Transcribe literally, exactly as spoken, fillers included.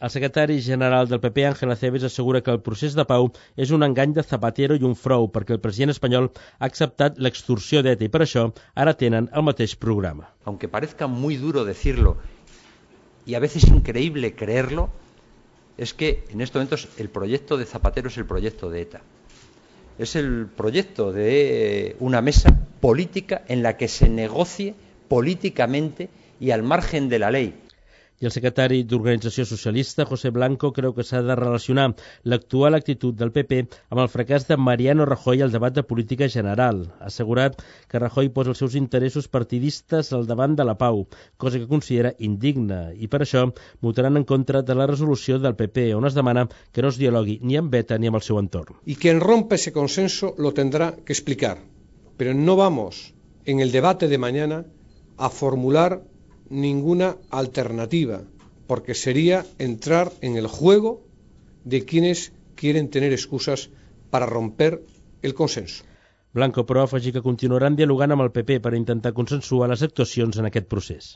El secretari general del P P, Ángel Acebes, assegura que el procés de pau és un engany de Zapatero i un frau perquè el president espanyol ha acceptat l'extorsió d'E T A i per això ara tenen el mateix programa. Aunque parezca muy duro decirlo y a veces increíble creerlo, es que en estos momentos el proyecto de Zapatero es el proyecto de E T A. Es el proyecto de una mesa política en la que se negocie políticamente y al margen de la ley. I el secretari d'Organització Socialista, José Blanco, creu que s'ha de relacionar l'actual actitud del P P amb el fracàs de Mariano Rajoy al debat de política general. Ha assegurat que Rajoy posa els seus interessos partidistes al davant de la pau, cosa que considera indigna, i per això votaran en contra de la resolució del P P, on es demana que no es dialogui ni amb E T A ni amb el seu entorn. Y quien rompa ese consenso lo tendrá que explicar, pero no vamos en el debate de mañana a formular ninguna alternativa, porque sería entrar en el juego de quienes quieren tener excusas para romper el consenso. Blanco, però, afegir que continuaran dialogant amb el P P per intentar consensuar les actuacions en aquest procés.